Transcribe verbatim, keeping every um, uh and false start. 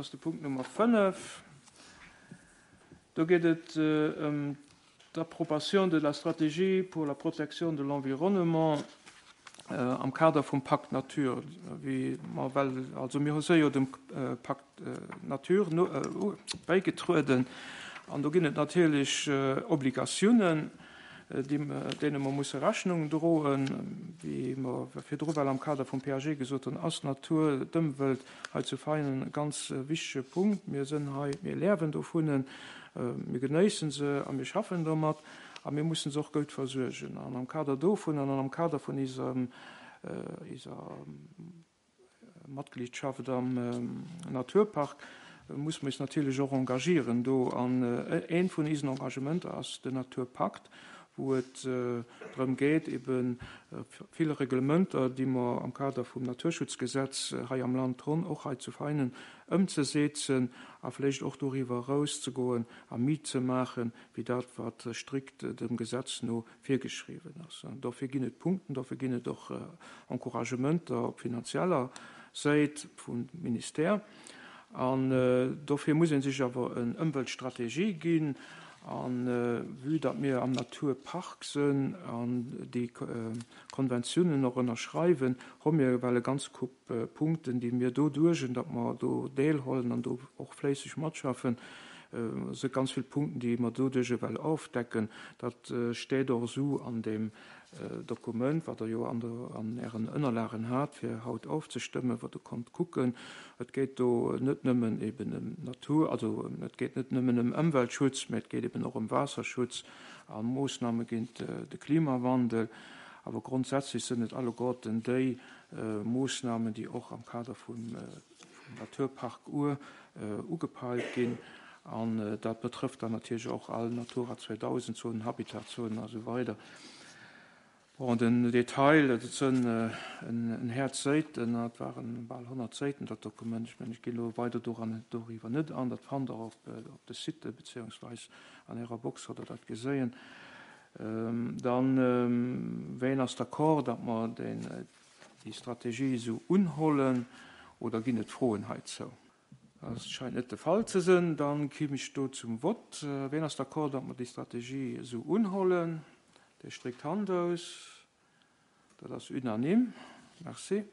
Dat ass de Punkt Nummer fënnef. Do geet et ëm d'Approbation de la stratégie pour la protection de l'environnement am Kader vum Pacte Nature. Wéi mer well, also mir hu se jo dem Pacte Nature bäigetrueden an do ginn et natierlech Obligatiounen, deene mer musse Rechnung droen. Wéi mer virdru well am Kader vum P A G gesot hunn, ass d'Natur, d'Ëmwelt hei zu Veinen e ganz wichtege Punkt. Mir sinn hei, mir liewen dovun, mir genéissen se a mir schaffen domat a mir mussen se och gutt versuergen. An am Kader dovun an am Kader vun eiser eiser Matgliedschaft am Naturpark muss mer eis natierlech och engagieren do. An eent vun eisen Engagementer ass den Naturpakt, wou et drëm geet, ebe vill Reglementer, déi mer am Kader vum Naturschutzgesetz hei am Land hunn, och hei zu Veinen ëmzesetzen a vläicht och doriwwer erauszegoen a méi ze maachen, wéi dat, wat strikt dem Gesetz no virgeschriwwen ass. An dofir ginn et Punkten, dofir ginn et och Encouragementer op finanzieller Säit vum Ministère. An dofir muss ee sech awer en Ëmweltstrategie ginn. An vue datt mir am Naturpark sinn an déi Konventiounen och ënnerschreiwen, hu mir well e ganz Koup Punkten, déi mir doduerch, datt mer do deelhuelen an do och fléisseg matschaffen, si ganz vill Punkten, déi mer doduerch well ofdecken. Dat steet och esou an deem Dokument, wat Der jo an der an Ären Ënnerlagen hat, fir haut ofzestëmmen, wat Der konnt kucken. Et geet do net nëmmen eben ëm Natur, also et geet net nëmmen ëm Ëmweltschutz, mä et geet eben och ëm Waasserschutz a Moossname géint de Klimawandel. Awer grondsätzlech sinn et alleguerten déi Moossnamen, déi och am Kader vum Naturpark Our ugepeilt ginn. An dat betrëfft dann natierlech och all Natura zweedausend Zonen, Habitatzonen a sou weider. Bon, den Detail, dat sinn en Häerz Säiten, dat waren bal honnert Säiten, dat Dokument. Ech mengen, ech ginn elo weider doran doriwwer net an. Dat fannt Der op op de Site beziehungsweis an Ärer Box hutt Der dat geséien. Dann, ween ass d'accord, datt mer den, déi Strategie esou unhollen, oder ginn et Froen heizou? Dat scheint net de Fall ze sinn. Dann kimm ech do zum Vott. Ween ass d'accord, datt mer déi Strategie esou unhollen? Dee streckt d'Hand aus. Dat ass unanime. Merci.